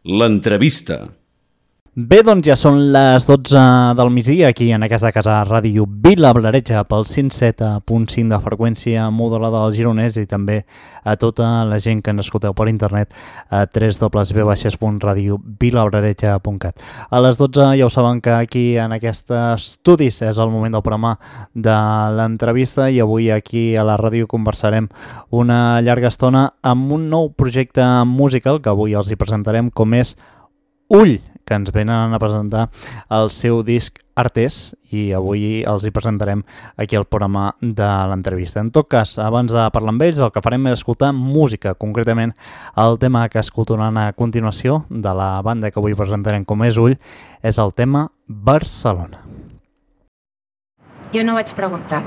L'entrevista. Bé, doncs ja són les 12 del migdia aquí en aquesta casa ràdio Vilablareix pel 107.5 de freqüència modulada del Gironès i també a tota la gent que ens escolteu per internet a www.radiovilablareig.cat. A les 12 ja ho saben que aquí en aquests estudis és el moment del programa de l'entrevista i avui aquí a la ràdio conversarem una llarga estona amb un nou projecte musical que avui els hi presentarem com és Ull, que ens venen a presentar el seu disc Artes i avui els hi presentarem aquí al programa de l'entrevista. En tot cas, abans de parlar amb ells, el que farem és escoltar música, concretament el tema que escoltaran a continuació de la banda que avui presentarem com és Ull, és el tema Barcelona. Jo no vaig preguntar,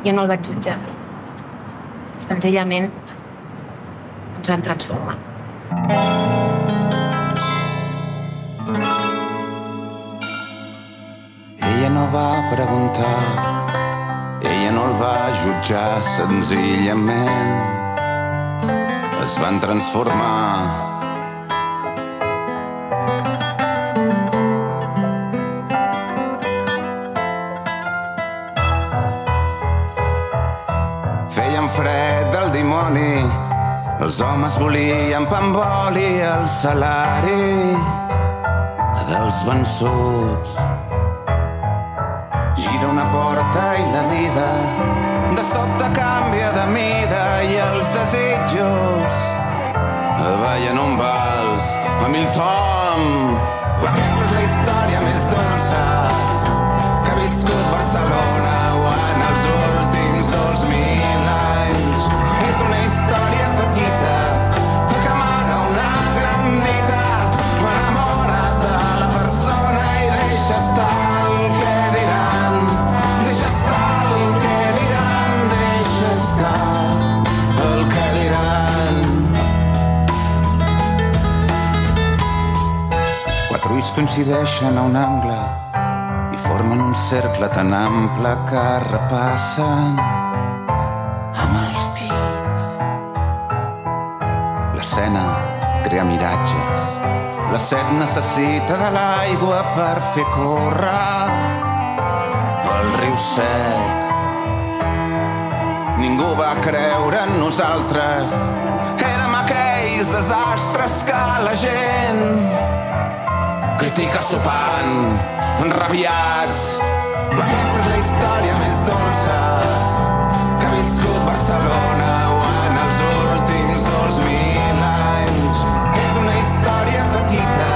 jo no el vaig jutjar. Senzillament ens vam transformar. Ella no va preguntar, ella no el va jutjar, senzillament es van transformar. Feien fred del dimoni, els homes volien pa amb oli, el salari dels vençuts. Gira una porta i la vida de sobte canvia de mida i els desitjos ballen un vals a mil tom. Aquesta és la història més dolça que ha viscut Barcelona en els últims 2000 anys. És una història petita que amaga una gran dita. M'enamora de la persona i deixa estar el que diran. Deixa estar el que diran. Deixa estar el que diran. Quatre ulls coincideixen a un angle i formen un cercle tan ample que repassen amb els dits. L'escena crea miratges. La set necessita de l'aigua per fer córrer el riu sec. Ningú va creure en nosaltres. Érem aquells desastres que la gent critica sopant, enrabiats. Aquesta és la història més dolça que ha viscut Barcelona en els últims 2000 anys. És una història petita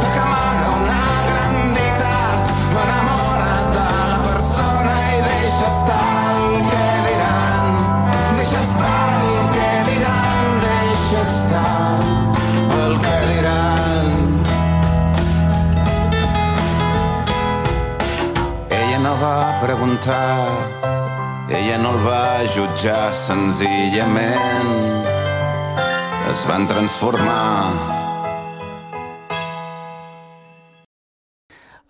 que amaga una gran dita. M'enamora de la persona i deixa estar el que diran. Deixa estar el que diran. Deixa estar el que diran. Ella no va preguntar, ella no el va jutjar, senzillament es van transformar.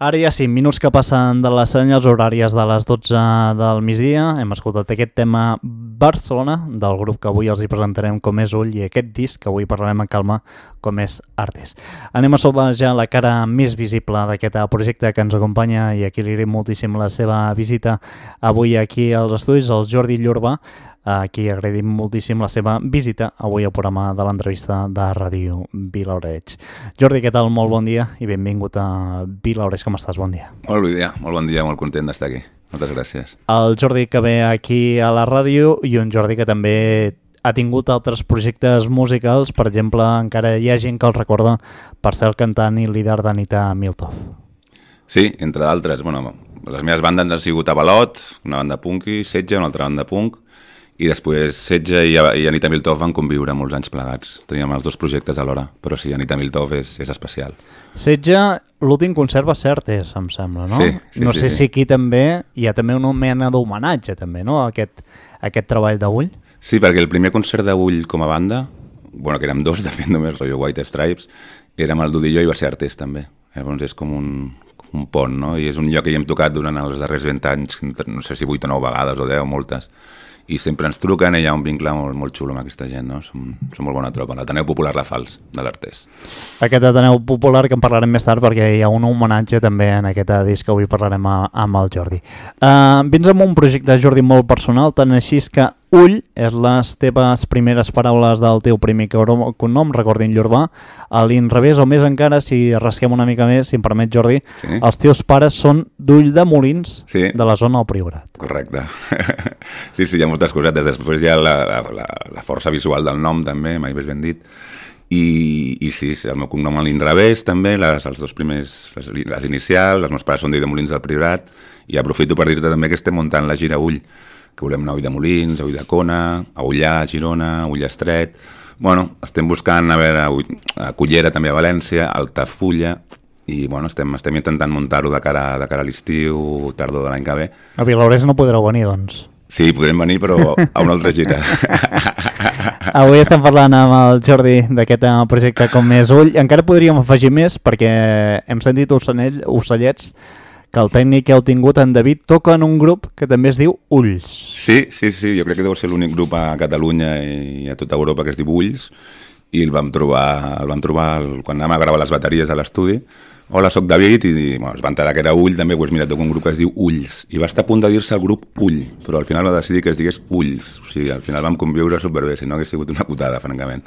Ara ja 5 minuts que passen de les senyals horàries de les 12 del migdia. Hem escoltat aquest tema Barcelona del grup que avui els hi presentarem com és Ull i aquest disc que avui parlarem en calma com és Artes. Anem a saludar ja la cara més visible d'aquest projecte que ens acompanya i aquí li agraïm moltíssim la seva visita avui aquí als estudis, el Jordi Llorba, a qui agraïm moltíssim la seva visita avui al programa de l'entrevista de Ràdio Vilablareix. Jordi, què tal? Molt bon dia i benvingut a Vilablareix. Com estàs? Bon dia. Molt bon dia, molt content d'estar aquí. Moltes gràcies. El Jordi que ve aquí a la ràdio i un Jordi que també ha tingut altres projectes musicals. Per exemple, encara hi ha gent que el recorda per ser el cantant i líder d'Anita Miltov. Sí, entre d'altres. Bueno, les meves bandes han sigut Avalot, una banda punky, Setge, una altra banda punk, i després Setge i Anita Miltov van conviure molts anys plegats. Teníem els dos projectes alhora, però sí, Anita Miltov és especial. Setge, l'últim concert va ser Artes, em sembla, no? Sí. No sé si aquí també hi ha també una mena d'homenatge, també, no?, a aquest treball d'Ull. Sí, perquè el primer concert d'Ull com a banda, bueno, que érem dos, de fet, només, rotllo White Stripes, érem el Dudillo i va ser Artes, també. Llavors és com un pont, no? I és un lloc que hi hem tocat durant els darrers 20 anys, no sé si 8 o 9 vegades o 10, moltes. i sempre ens truquen i hi ha un vincle molt, molt xulo amb aquesta gent, no? Som molt bona tropa, l'Ateneu Popular La Fals, de l'Artés. Aquest Ateneu Popular, que en parlarem més tard perquè hi ha un homenatge també en aquest disc que avui parlarem amb el Jordi. Vins amb un projecte, Jordi, molt personal, tant així que Ull és les teves primeres paraules del teu primer cognom, recordin Llorbà, a l'inrevés o més encara, si rasquem una mica més, si em permet, Jordi, sí. Els teus pares són d'Ulldemolins, sí, de la zona del Priorat. Correcte. Sí, hi ha moltes cosetes. Després hi ha la força visual del nom, també, mai més ben dit. I sí, el meu cognom a l'inrevés, també, els dos primers, les inicials, els meus pares són d'Ulldemolins del Priorat, i aprofito per dir-te també que estem muntant la gira Ull, que volem anar a Ulldemolins, a Ulldecona, a Ullà, a Girona, a Ullestret. Bueno, estem buscant, a veure, a Cullera també a València, a Altafulla, i bueno, estem intentant muntar-ho de cara a l'estiu, tardor de l'any que ve. A Vilablareix no podreu venir, doncs. Sí, podrem venir, però a una altra gira. Avui estem parlant amb el Jordi d'aquest projecte com és Ull. Encara podríem afegir més, perquè hem sentit ocellets, que el tècnic que heu tingut, en David, toca en un grup que també es diu Ulls. Sí, jo crec que deu ser l'únic grup a Catalunya i a tota Europa que es diu Ulls, i el vam trobar quan anàvem a gravar les bateries a l'estudi. Hola, soc David, i bueno, es va enterar que era Ull, també, doncs mira, toca un grup que es diu Ulls, i va estar a punt de dir-se el grup Ull, però al final va decidir que es digués Ulls, o sigui, al final vam conviure superbé, si no hagués sigut una putada, francament.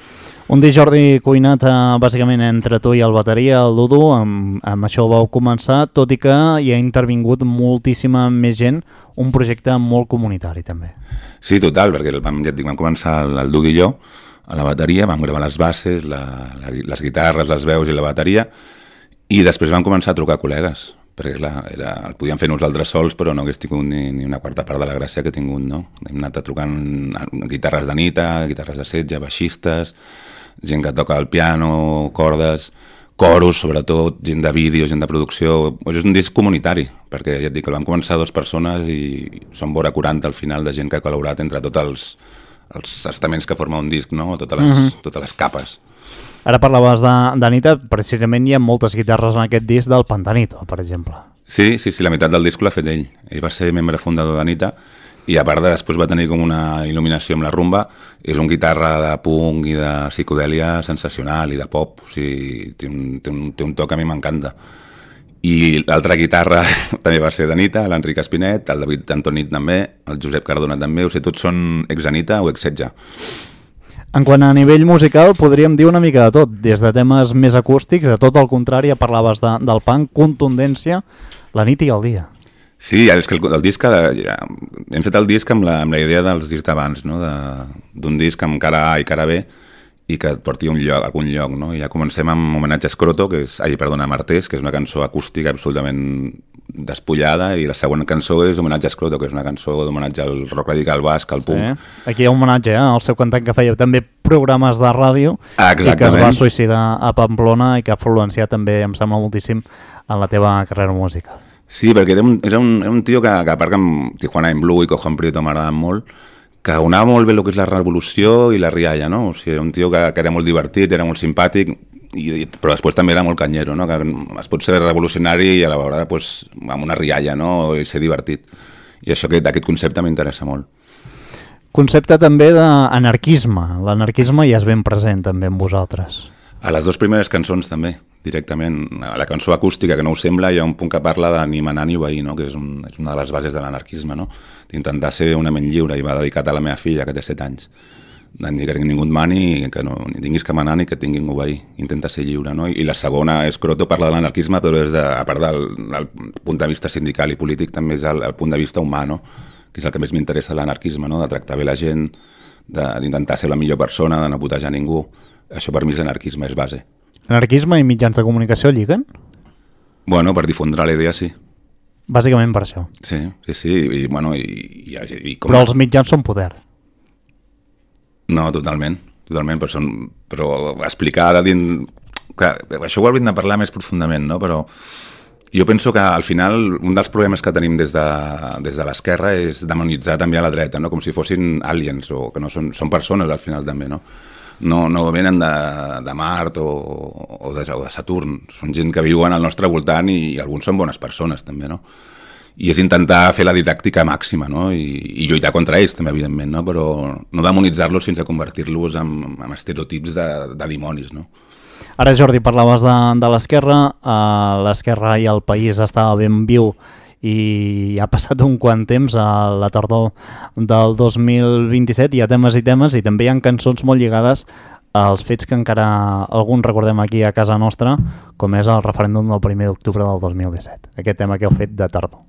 Un dia, Jordi, cuinat bàsicament entre tu i el bateria, el Dudu, amb això vau començar, tot i que hi ha intervingut moltíssima més gent, un projecte molt comunitari també. Sí, total, perquè vam començar el Dudu i jo a la bateria, vam gravar les bases, les guitarres, les veus i la bateria, i després vam començar a trucar col·legues, perquè clar, el podíem fer nosaltres sols, però no hagués tingut ni una quarta part de la gràcia que he tingut, no? Hem anat trucant guitarres de nita, guitarres de setge, baixistes, gent que toca el piano, cordes, coros, sobretot, gent de vídeo, gent de producció. És un disc comunitari, perquè ja et dic que el van començar 2 persones i són vora 40 al final de gent que ha col·laborat entre tots els estaments que forma un disc, no? Totes les capes. Ara parlaves d'Anita, precisament hi ha moltes guitarres en aquest disc del Pantanito, per exemple. Sí, la meitat del disc l'ha fet ell. Ell va ser membre fundador d'Anita, i a part després va tenir com una il·luminació amb la rumba. És un guitarra de punk i de psicodèlia sensacional i de pop, o sigui, té un toc que a mi m'encanta. I l'altra guitarra també va ser d'Anita, l'Enric Espinet, el David Antonit també, el Josep Cardona també, o sigui, tots són ex-Anita o ex-Setge. En quant a nivell musical, podríem dir una mica de tot, des de temes més acústics, a tot el contrari, parlaves del punk, contundència, la nit i el dia. Sí, és que el disc, hem fet el disc amb la idea dels discs d'abans, no? D'un disc amb cara A i cara B, i que et porti a algun lloc, no? I ja comencem amb homenatge a Escroto, a Martés, que és una cançó acústica absolutament despullada, i la següent cançó és homenatge a Escroto, que és una cançó d'homenatge al rock radical basc, al punk. Sí. Aquí hi ha un homenatge al seu cantant que feia també programes de ràdio. Exactament. I que es va suïcidar a Pamplona i que ha influenciat també, em sembla moltíssim, en la teva carrera musical. Sí, perquè era un tio que a part que amb Tijuana en Blue i Cojon Prieto m'agraden molt, que unava molt bé el que és la revolució i la rialla, no? O sigui, era un tio que era molt divertit, era molt simpàtic, però després també era molt canyero, no? Que es pot ser revolucionari i a la vegada amb una rialla, no? I ser divertit. I aquest concepte m'interessa molt. Concepte també d'anarquisme. L'anarquisme ja és ben present també amb vosaltres. A les 2 primeres cançons també, directament. A la cançó acústica, que no ho sembla, hi ha un punt que parla de ni manar ni obeir, no? Que és una de les bases de l'anarquisme, no? D'intentar ser una ment lliure, i va dedicat a la meva filla, que té 7 anys. Ni que ningú et mani, que no ni tinguis que manar ni que tinguin obeir. Intenta ser lliure, no? I la segona, Escroto, parla de l'anarquisme, però a part del punt de vista sindical i polític, també és el punt de vista humà, no? Que és el que més m'interessa de l'anarquisme, no? De tractar bé la gent, d'intentar ser la millor persona, de no putejar ningú. Això per mi és l'anarquisme, és base. Anarquisme i mitjans de comunicació lliguen? Bueno, per difondre la idea, sí. Bàsicament per això. Sí. I però els mitjans són poder. No, totalment, però explicar de dins... Clar, això ho hauríem de parlar més profundament, no? Però jo penso que al final un dels problemes que tenim des de l'esquerra és demonitzar també a la dreta, no? Com si fossin aliens, o que no són persones al final també, no? No venen de Mart o de Saturn, són gent que viuen al nostre voltant i alguns són bones persones també, no? i és intentar fer la didàctica màxima, no? I lluitar contra ells també, evidentment, no? Però no demonitzar-los fins a convertir-los en estereotips de dimonis, no? Ara, Jordi, parlaves de l'esquerra. L'esquerra i el país estava ben viu i ha passat un quant temps, a la tardor del 2027, hi ha temes i temes, i també hi ha cançons molt lligades als fets que encara alguns recordem aquí a casa nostra, com és el referèndum del 1 d'octubre del 2017, aquest tema que heu fet de tardor.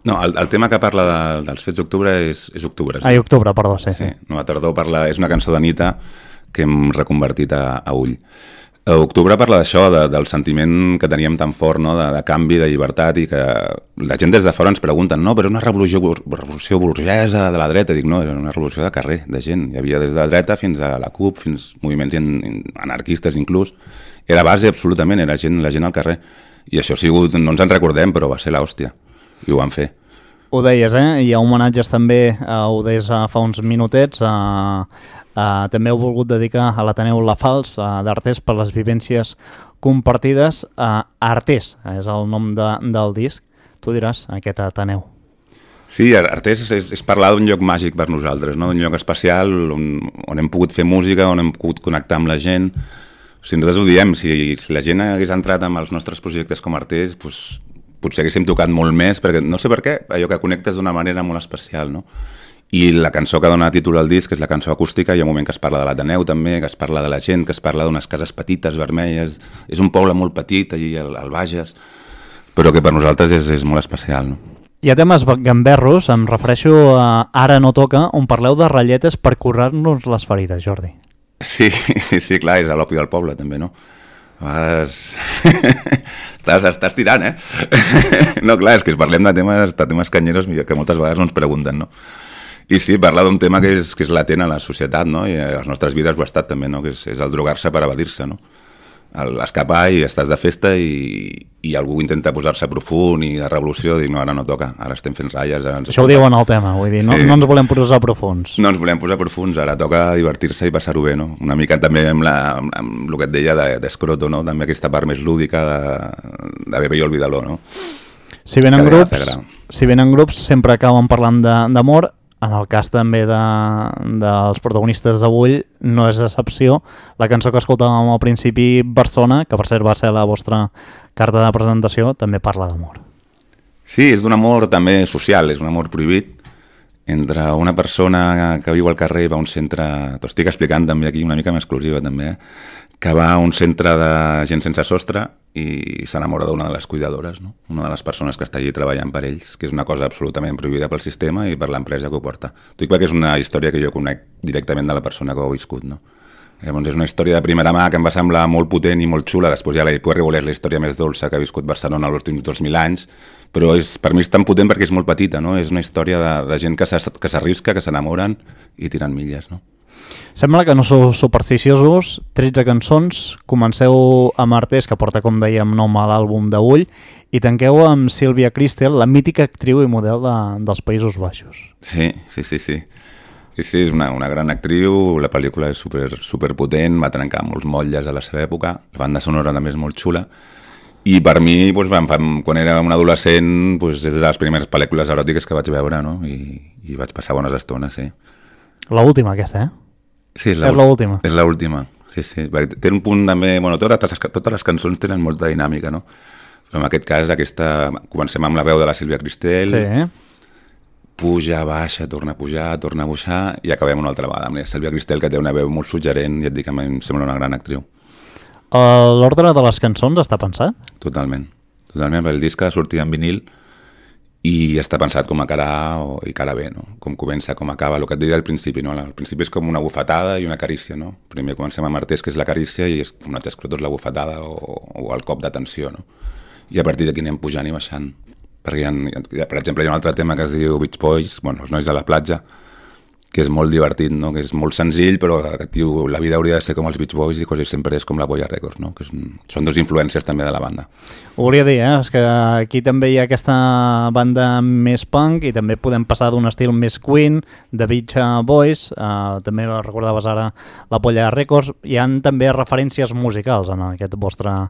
No, el tema que parla dels fets d'octubre és octubre. Sí. Octubre, perdó, sí. No, a tardor és una cançó d'Anita que hem reconvertit a Ull. Octubre parla d'això, del sentiment que teníem tan fort, no? de canvi, de llibertat, i que la gent des de fora ens pregunten, no, però és una revolució burgesa de la dreta. Dic, no, era una revolució de carrer, de gent. Hi havia des de la dreta fins a la CUP, fins moviments anarquistes inclús. Era base, absolutament, era la gent al carrer. I això ha sigut, no ens en recordem, però va ser l'hòstia. I ho van fer. Ho deies, hi ha homenatges també, ho deies fa uns minutets, també heu volgut dedicar a l'Ateneu La Falç d'Artés per les vivències compartides. Artés és el nom del disc. Tu diràs, aquest Ateneu. Sí, Artés és parlar d'un lloc màgic per nosaltres, no? Un lloc especial on hem pogut fer música, on hem pogut connectar amb la gent. O sigui, nosaltres ho diem, si la gent hagués entrat amb els nostres projectes com Artés, doncs, potser haguéssim tocat molt més, perquè no sé per què, allò que connectes d'una manera molt especial, no? I la cançó que dona títol al disc és la cançó acústica, hi ha un moment que es parla de l'Ateneu també, que es parla de la gent, que es parla d'unes cases petites, vermelles, és un poble molt petit allà al Bages, però que per nosaltres és molt especial, no? Hi ha temes gamberros, em refereixo a Ara no toca, on parleu de ratlletes per curar-nos les ferides, Jordi. Sí, clar, és a l'opi del poble també, no? Estàs tirant, eh? No, clar, és que parlem de temes canyeros que moltes vegades no ens pregunten, no? I sí, parla d'un tema que és latent a la societat, no? I a les nostres vides ho ha estat també, no? Que és el drogar-se per evadir-se, no? Escapar i estàs de festa i algú intenta posar-se profund i de revolució, dic, no, ara no toca, ara estem fent ratlles. Això ho diu en el tema, vull dir, no ens volem posar profuns. No ens volem posar profuns, ara toca divertir-se i passar-ho bé, no? Una mica també amb el que et deia d'Escroto, no? També aquesta part més lúdica de Bebe i Olvídalo, no? Si venen grups sempre acaben parlant d'amor. En el cas també dels protagonistes d'avui no és excepció. La cançó que escoltàvem al principi, Persona, que per cert va ser la vostra carta de presentació, també parla d'amor. Sí, és d'un amor també social, és un amor prohibit entre una persona que viu al carrer i va a un centre, t'ho estic explicant també aquí una mica més exclusiva també, que va a un centre de gent sense sostre i s'enamora d'una de les cuidadores, no? Una de les persones que està allí treballant per ells, que és una cosa absolutament prohibida pel sistema i per l'empresa que ho porta. T'ho dic perquè és una història que jo conec directament de la persona que ho ha viscut, no? Llavors és una història de primera mà que em va semblar molt potent i molt xula. Després ja puc voler la història més dolça que ha viscut Barcelona els últims 2.000 anys, però per mi és tan potent perquè és molt petita, no? És una història de gent que s'arrisca, que s'enamoren i tiren milles, no? Sembla que no sou supersticiosos, 13 cançons, comenceu amb Artés, que porta, com dèiem, nom a l'àlbum d'Ull, i tanqueu amb Sílvia Kristel, la mítica actriu i model dels Països Baixos. Sí, és una gran actriu, la pel·lícula és super potent, va trencar molts motlles a la seva època, la banda sonora també és molt xula, i per mi, quan era un adolescent, és de les primeres pel·lícules eròtiques que vaig veure, no? I vaig passar bones estones, sí. L'última aquesta, Sí, és l'última. És l'última, sí. Té un punt també... Bueno, totes les cançons tenen molta dinàmica, no? Però en aquest cas, comencem amb la veu de la Sílvia Kristel, sí. Puja, baixa, torna a pujar, torna a baixar, i acabem una altra vegada amb la Sílvia Kristel, que té una veu molt suggerent, i et dic que em sembla una gran actriu. L'ordre de les cançons està pensat? Totalment, perquè el disc ha sortit en vinil i està pensat com a cara A i cara B, no? Com comença, com acaba, el que et deia al principi, no? Al principi és com una bufetada i una carícia, no? Primer comencem amb Artés, que és la carícia, i un altre escrot és la bufetada o el cop d'atenció, no? I a partir d'aquí anem pujant i baixant. Perquè, per exemple, hi ha un altre tema que es diu Beach Boys, els nois de la platja, que és molt divertit, no? Que és molt senzill, però que et diu la vida hauria de ser com els Beach Boys i quasi sempre és com la Boya Records, no? Que són dos influències també de la banda. Ho volia dir, és que aquí també hi ha aquesta banda més punk i també podem passar d'un estil més Queen, de Beach Boys, també recordaves ara la Boya Records, hi ha també referències musicals en aquest vostre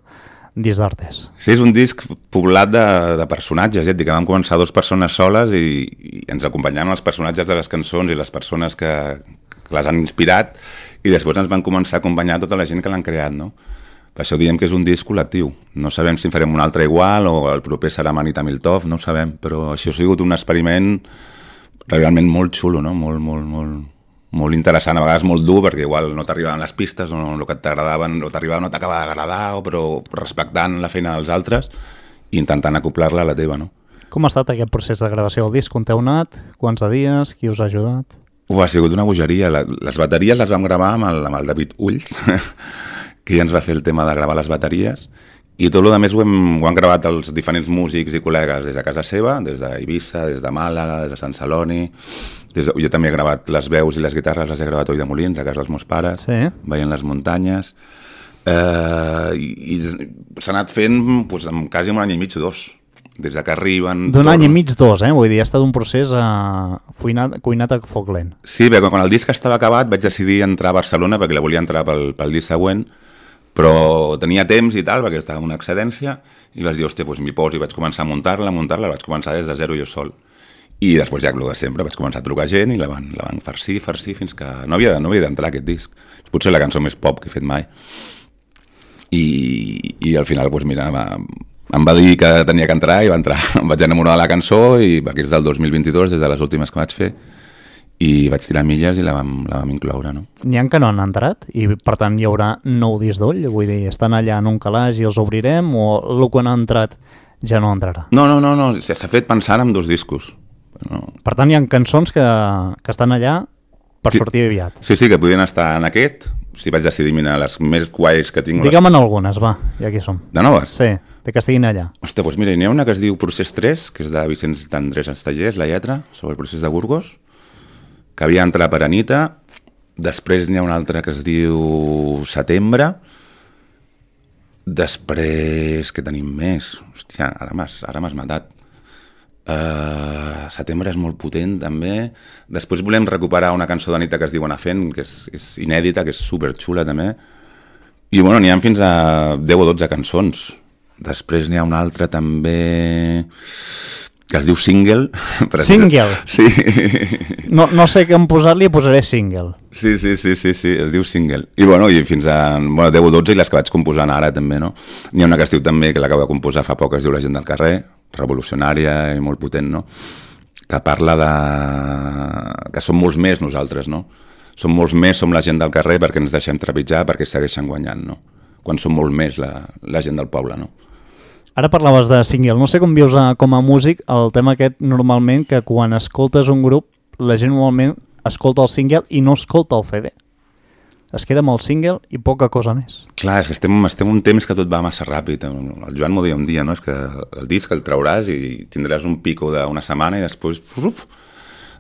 disc d'Artés. Sí, és un disc poblat de personatges, ja et dic, que vam començar 2 persones soles i ens acompanyaven els personatges de les cançons i les persones que les han inspirat, i després ens van començar a acompanyar tota la gent que l'han creat, no? Per això diem que és un disc col·lectiu. No sabem si en farem un altre igual o el proper serà Manita Miltov, no ho sabem, però això ha sigut un experiment realment molt xulo, no? Molt interessant, a vegades molt dur, perquè igual no t'arribaven les pistes, o el que t'agradaven, o t'arribava no t'acaba d'agradar, però respectant la feina dels altres i intentant acoplar-la a la teva, no? Com ha estat aquest procés de gravació del disc? On t'heu anat? Quants de dies? Qui us ha ajudat? Ha sigut una bogeria. Les bateries les vam gravar amb el David Ulls, que ja ens va fer el tema de gravar les bateries, i tot el més ho han gravat els diferents músics i col·legues des de casa seva, des d'Eivissa, des de Màlaga, des de Sant Celoni. Jo també he gravat les veus i les guitarres, les he gravat a Oi de Molins, a casa dels meus pares, sí. Veient les muntanyes. I s'ha anat fent doncs, en quasi un any i mig o 2. Des que arriben... D'un any i mig, 2, Vull dir, ha estat un procés cuinat a foc lent. Sí, bé, quan el disc estava acabat vaig decidir entrar a Barcelona perquè la volia entrar pel disc següent, però tenia temps i tal, perquè estava en una excedència, i vaig dir, hòstia, doncs m'hi poso, i vaig començar a muntar-la, vaig començar des de zero jo sol. I després ja, el de sempre, vaig començar a trucar gent i la van farcir, fins que no havia d'entrar aquest disc. Potser la cançó més pop que he fet mai. I al final, doncs mira, em va dir que tenia que entrar i va entrar. Em vaig enamorar de la cançó, i perquè és del 2022, des de les últimes que vaig fer, i vaig tirar milles i la vam incloure, no? N'hi ha que no han entrat i per tant hi haurà 9 discs d'ull? Vull dir, estan allà en un calaix i els obrirem, o el que no ha entrat ja no entrarà? No, s'ha fet pensant en 2 discos. No. Per tant, hi ha cançons que estan allà per sortir aviat. Sí, que podien estar en aquest. Si vaig decidir mirar les més guais que tinc... Digue'm en algunes, va, ja aquí som. De noves? Sí, de que estiguin allà. Hòstia, doncs mira, n'hi ha una que es diu Procés 3, que és de Vicenç d'Andrés Estellers, la lletra, sobre el procés de Burgos, que havia entrat per Anita. Després n'hi ha una altra que es diu Setembre. Després, què tenim més? Hòstia, ara m'has matat. Setembre és molt potent, també. Després volem recuperar una cançó d'Anita que es diu Anar fent, que és inèdita, que és superxula, també. I, bueno, n'hi ha fins a 10 o 12 cançons. Després n'hi ha una altra, també, que es diu Single. Single? Sí. No sé què em posar-li, posaré Single. Sí, es diu Single. I bueno, i fins a 10 o 12, i les que vaig composant ara també, no? N'hi ha una que es diu també, que l'acabo de composar fa poc, es diu La gent del carrer, revolucionària i molt potent, no? Que parla de... que som molts més nosaltres, no? Som molts més, som la gent del carrer perquè ens deixem trepitjar, perquè segueixen guanyant, no? Quan som molt més la gent del poble, no? Ara parlaves de single. No sé com vius com a músic el tema aquest normalment, que quan escoltes un grup, la gent normalment escolta el single i no escolta el CD. Es queda amb el single i poca cosa més. Clar, és que estem un temps que tot va massa ràpid. El Joan m'ho deia un dia, no? És que el disc el trauràs i tindràs un pico d'una setmana i després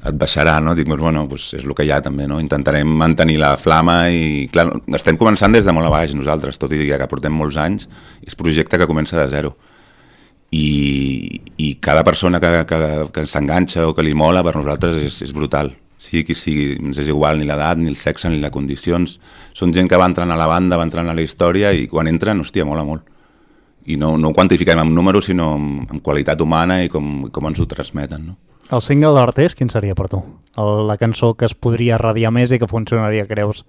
et baixarà, no? Dic, bueno, doncs és el que hi ha també, no? Intentarem mantenir la flama i, clar, estem començant des de molt a baix nosaltres, tot i que portem molts anys, és projecte que comença de zero. I cada persona que s'enganxa o que li mola per nosaltres és brutal. Sigui qui sigui, ens és igual ni l'edat, ni el sexe, ni les condicions. Són gent que va entrant a la banda, va entrant a la història i quan entren, hòstia, mola molt. I no ho quantifiquem amb números, sinó amb qualitat humana i com ens ho transmeten, no? El single d'Artés, quin seria per tu? La cançó que es podria radiar més i que funcionaria, creus,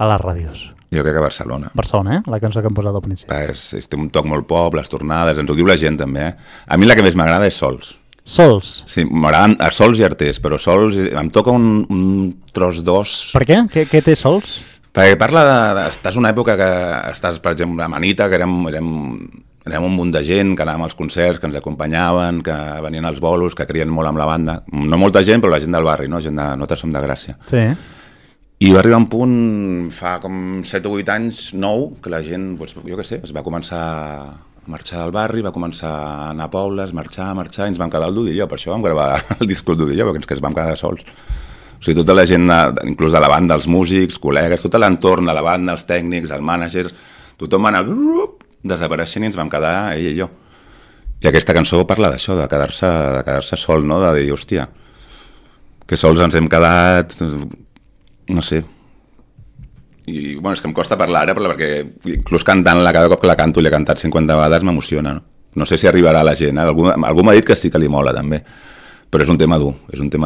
a les ràdios? Jo crec que Barcelona. Barcelona, la cançó que hem posat al principi. Té un toc molt pop, les tornades, ens ho diu la gent també, A mi la que més m'agrada és Sols. Sols? Sí, m'agraden Sols i Artés, però Sols em toca un tros d'os. Per què? Què té Sols? Perquè parla estàs en una època que estàs, per exemple, a Manita, que érem un munt de gent, que anàvem als concerts, que ens acompanyaven, que venien als bolos, que creien molt amb la banda. No molta gent, però la gent del barri, no? Gent de Nosaltres som de Gràcia. Sí. I va arribar un punt, fa com 7 o 8 anys, 9, que la gent, doncs, jo què sé, es va començar a marxar del barri, va començar a anar a pobles, marxar, i ens vam quedar al Dudilló. Per això vam gravar el disc al Dudilló, perquè ens vam quedar sols. O sigui, tota la gent, inclús de la banda, els músics, col·legues, tot l'entorn de la banda, els tècnics, el mànager, tothom va anar desapareixent i ens vam quedar ell i jo. I aquesta cançó parla d'això, de quedar-se sol, no? De dir, hòstia, que sols ens hem quedat, no sé, I bueno, és que em costa parlar ara perquè inclús cantant-la cada cop que la canto i l'he cantat 50 vegades m'emociona, no? No sé si arribarà a la gent, algú m'ha dit que sí que li mola també, però és un tema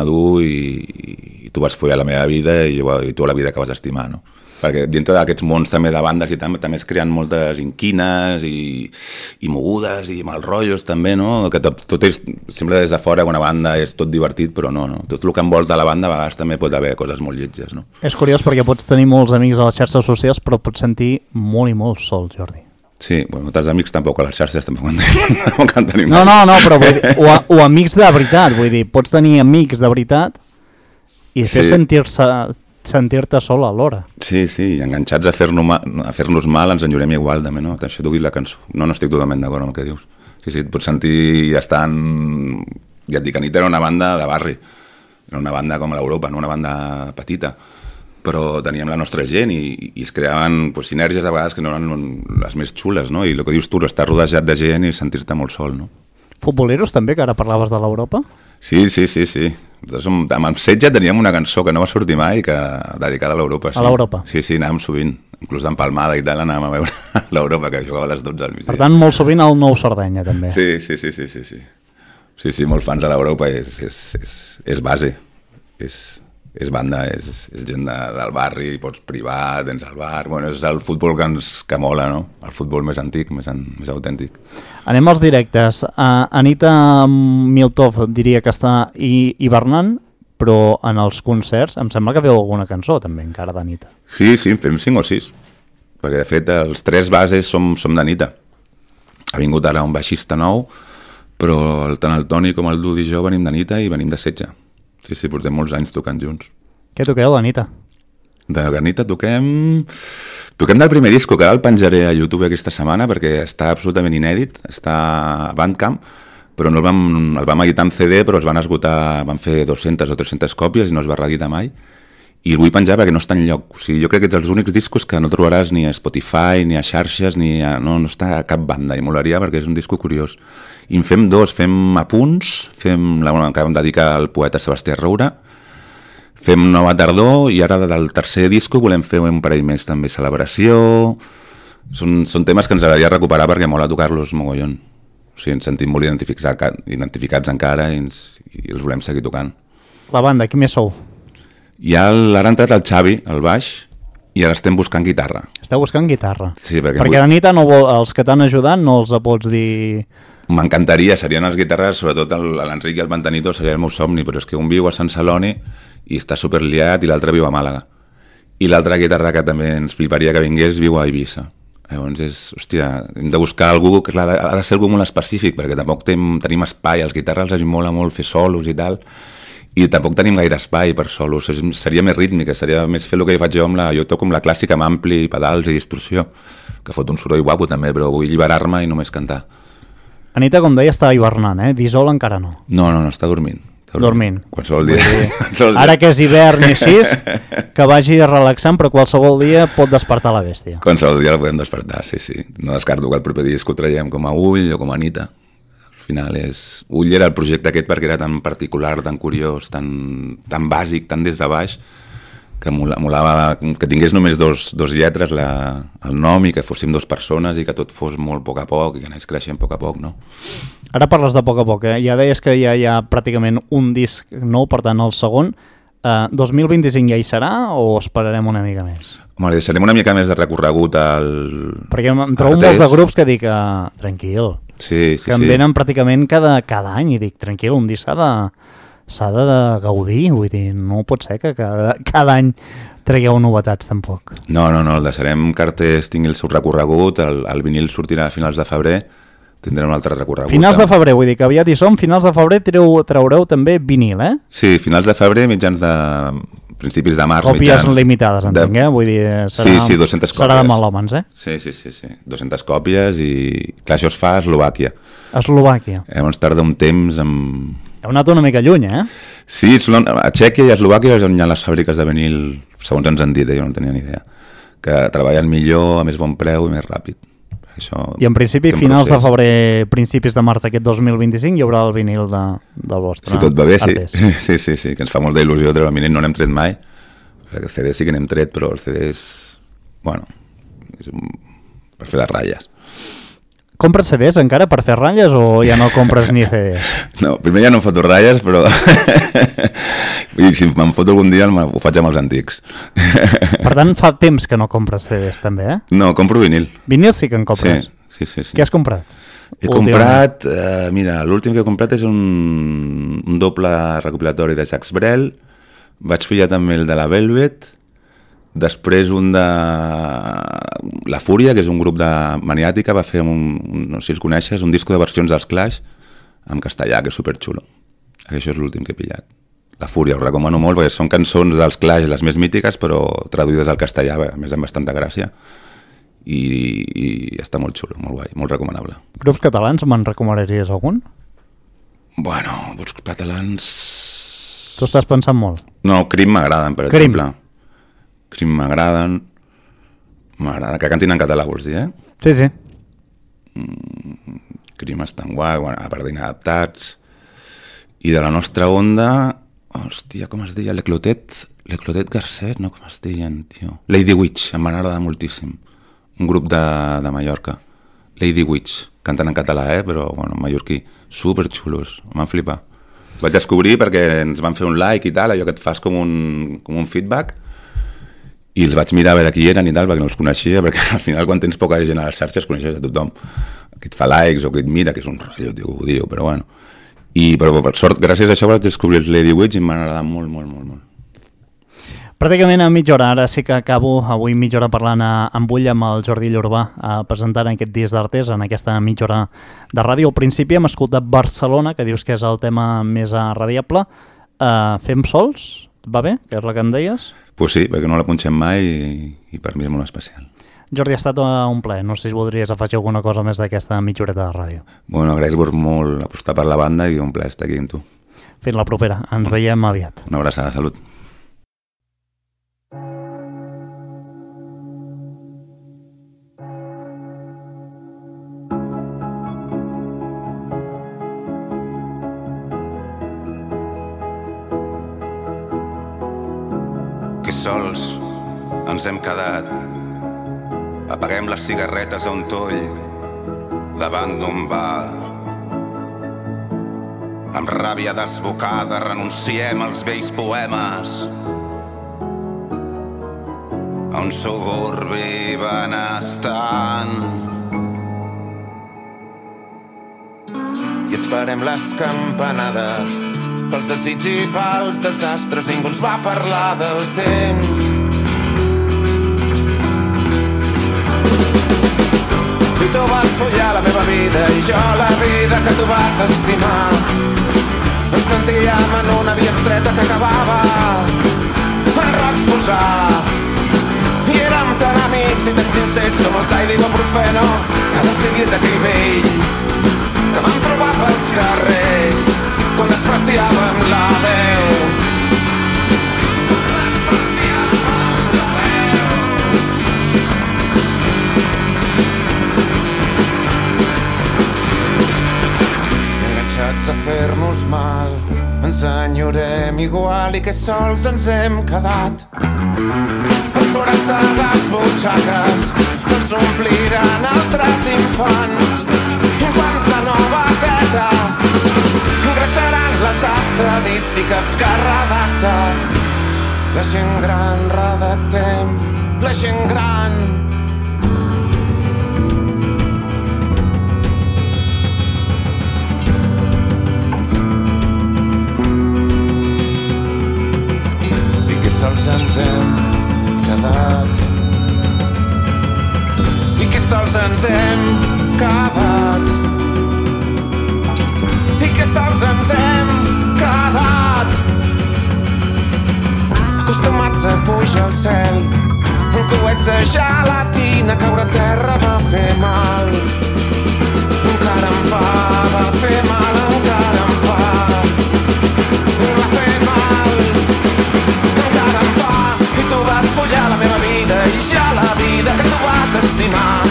dur i tu vas follar la meva vida i tu la vida que vas estimar, no? Perquè dintre d'aquests mons també de bandes i també es creen moltes inquines i mogudes i mal rotllos també, no? Que tot és, sembla des de fora que una banda és tot divertit, però no. Tot el que envolta la banda a vegades també pot haver coses molt lletges, no? És curiós perquè pots tenir molts amics a les xarxes socials, però pots sentir molt i molt sol, Jordi. Sí, bueno, tants amics tampoc a les xarxes tampoc en tenim. No, però vull dir, o amics de veritat, vull dir, pots tenir amics de veritat i després sentir-te sol alhora. Sí, i enganxats a fer-nos mal ens enllorem igual també, no? Això t'ho dit la cançó. No estic totalment d'acord amb el que dius. Sí, et pots sentir estant... Ja et dic, Anita era una banda de barri, era una banda com l'Europa, no? Una banda petita, però teníem la nostra gent i es creaven sinergies a vegades que no eren les més xules, no? I el que dius tu, estar rodejat de gent i sentir-te molt sol, no? Futboleros també, que ara parlaves de l'Europa? Sí. Amb el Setge teníem una cançó que no va sortir mai, dedicada a l'Europa. Sí. A l'Europa? Sí, anàvem sovint. Inclús d'empalmada i tal, anàvem a veure l'Europa, que jugava a les 12 al migdia. Per tant, molt sovint al Nou Sardenya, també. Sí. Sí, molt fans de l'Europa, és base. És banda, és gent del barri, pots privar, tens el bar... Bueno, és el futbol que mola, no? El futbol més antic, més autèntic. Anem als directes. Anita Miltov diria que està hivernant, però en els concerts em sembla que feu alguna cançó també encara d'Anita. Sí, fem 5 o 6, perquè de fet els 3 bases som d'Anita. Ha vingut ara un baixista nou, però tant el Toni com el Dudi i jo venim d'Anita i venim de Setge. Sí, portem molts anys tocant junts. Què toqueu d'Anita? D'Anita toquem del primer disco, que ara el penjaré a YouTube aquesta setmana perquè està absolutament inèdit, està a Bandcamp, però no el vam editar en CD, però es van esgotar, van fer 200 o 300 còpies i no es va reeditar mai, i el vull penjar perquè no està enlloc. O sigui, jo crec que ets els únics discos que no trobaràs ni a Spotify, ni a xarxes, no està a cap banda, i molaria perquè és un disco curiós. I en fem 2, fem apunts, fem la que vam dedicar al poeta Sebastià Roura, fem Nova Tardor, i ara del tercer disco volem fer un parell més també, Celebració. Són temes que ens agradaria recuperar perquè mola tocar-los mogollon. O sigui, ens sentim molt identificats encara i els volem seguir tocant. La banda, qui més sou? I ara ha entrat el Xavi, al baix, i ara estem buscant guitarra. Esteu buscant guitarra? Sí, perquè l'Anita els que t'han ajudat no els pots dir... M'encantaria, serien les guitarres, sobretot l'Enric i el Pantanito seria el meu somni, però és que un viu a Sant Celoni i està superliat i l'altre viu a Màlaga. I l'altra guitarra que també ens fliparia que vingués viu a Eivissa. Llavors hem de buscar algú que ha de ser algú molt específic, perquè tampoc tenim espai, els guitarres els mola molt fer solos i tal, i tampoc tenim gaire espai per solos, seria més rítmica, seria més fer el que faig jo jo toco amb la clàssica amb ampli, pedals i distorsió, que fot un soroll guapo també, però vull alliberar-me i només cantar. Anita, com deia, està hivernant, Dissol encara no. No, està dormint. Dormint. Qualsevol dia. Ara que és hivern i així, que vagi relaxant, però qualsevol dia pot despertar la bèstia. Qualsevol dia la podem despertar, sí. No descarto que el proper disc ho traiem com a Ull o com a Anita. Al final Ull era el projecte aquest perquè era tan particular, tan curiós, tan bàsic, tan des de baix, que molava que tingués només dos lletres el nom i que fóssim 2 persones i que tot fos molt a poc i que anés creixent a poc, no? Ara parles de poc a poc, Ja deies que ja hi ha pràcticament un disc nou, per tant el segon. 2025 ja hi serà o esperarem una mica més? Home, deixarem una mica més de recorregut perquè em trobo molts de grups que dic tranquil, que em venen pràcticament cada any i dic tranquil, un disc s'ha de gaudir, vull dir, no pot ser que cada any tragueu novetats tampoc. No, el deixarem que Artés tingui el seu recorregut, el vinil sortirà a finals de febrer, tindrem un altre recorregut. Finals de febrer, vull dir que aviat hi som, finals de febrer traureu també vinil, Sí, finals de febrer, principis de març. Còpies limitades, entenc, Vull dir, sí, 200 còpies. Serà de melòmens, Sí. 200 còpies i clar, això es fa a Eslovàquia. Llavors tarda un temps Heu anat una mica lluny, Sí, a Txèquia i a Eslovàquia és on hi ha les fàbriques de vinil, segons ens han dit, jo no tenia ni idea, que treballen millor, a més bon preu i més ràpid. I en principi, finals de febrer, principis de març d'aquest 2025, hi haurà el vinil del vostre. Si tot va bé, sí, que ens fa molta il·lusió treure el vinil, no n'hem tret mai. El CD sí que n'hem tret, però els CDs bueno, per fer les ratlles. Compres CDs encara per fer ratlles o ja no compres ni CDs? No, primer ja no em foto ratlles, però i si me'n foto algun dia ho faig amb els antics. Per tant, fa temps que no compres CDs també, eh? No, compro vinil. Vinil sí que en compres? Sí. Què has comprat? He comprat, mira, l'últim que he comprat és un doble recopilatori de Jacques Brel, vaig fillar també el de la Velvet, després un de La Fúria, que és un grup de Maniàtica, va fer no sé si els coneixes, un disco de versions dels Clash en castellà, que és superxulo. Això és l'últim que he pillat. La Fúria, ho recomano molt, perquè són cançons dels Clash, les més mítiques, però traduïdes al castellà, a més amb bastanta gràcia, i està molt xulo, molt guai, molt recomanable. Grups catalans, me'n recomanaries algun? Bueno, grups catalans... Tu estàs pensant molt? No, Crim m'agraden, per exemple. Crim m'agraden. M'agrada que cantin en català, vols dir, eh? Sí. Crim estan guai, bueno, a part d'inadaptats. I de la nostra onda, hòstia, com es deia? L'Eclotet Garcet, no? Com es deien, tio? Lady Witch, em van agradar moltíssim. Un grup de Mallorca. Lady Witch, canten en català, però, bueno, mallorquí. Superxulos, em van flipar. Vaig descobrir perquè ens van fer un like i tal, allò que et fas com un feedback, i els vaig mirar a veure qui eren i tal, perquè no els coneixia, perquè al final quan tens poca gent a les xarxes coneixes a tothom, que et fa likes o que et mira, que és un rotllo, tio, ho diu, però bueno. Però per sort, gràcies a això vaig descobrir els Lady Witch i m'han agradat molt. Pràcticament a mitja hora, ara sí que acabo avui mitja hora parlant amb ull amb el Jordi Llorbà, presentant aquest Dies d'Artes en aquesta mitja hora de ràdio. Al principi hem escoltat Barcelona, que dius que és el tema més radiable. Fem sols? Va bé? Que és la que em deies? Pues sí, perquè no la punxem mai i per mi és molt especial. Jordi, ha estat un plaer. No sé si voldries afegir alguna cosa més d'aquesta mitja horeta de ràdio. Bueno, agrair-vos molt apostar per la banda i un plaer estar aquí amb tu. Fins la propera. Ens veiem aviat. Una abraçada, salut. Sols ens hem quedat. Apaguem les cigarretes a un toll davant d'un bar. Amb ràbia desbocada renunciem als vells poemes a un suburbi benestant i esperem les campanades pels desig i pels desastres. Ningú ens va parlar del temps. I tu vas follar la meva vida i jo la vida que tu vas estimar. Ens mentíem en una via estreta que acabava en rocs posar. I érem tan amics i tan sincers com el tall d'ibuprofeno que decidís aquell vell que vam trobar pels carrers quan despreciàvem la veu. Enganxats a fer-nos mal, ens enyorem igual i que sols ens hem quedat. Els forats a les butxaques ens ompliran altres infants de nova teta. Engreixaran les estadístiques que redacta la gent gran. Redactem la gent gran. I que sols ens hem quedat. I que sols ens hem quedat. I que sols ens hem quedat. Acostumats a pujar al cel, un coets de gelatina, caure a terra va fer mal. Encara em fa, va fer mal, encara em fa. Va fer mal, encara em fa. I tu vas follar la meva vida i ja la vida que tu vas estimar.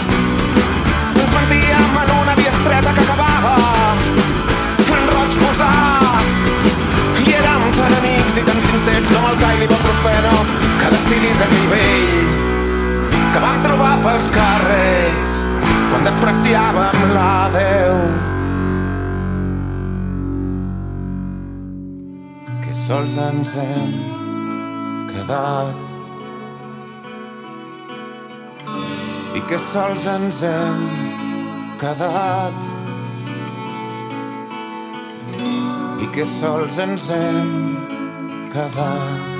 Ens mentíem en una via estreta que acabava i érem tan amics i tan sincers com el tall d'ibuprofeno que decidís aquell vell que va menyspreciàvem la Déu. Que sols ens hem quedat i que sols ens hem quedat i que sols ens hem quedat.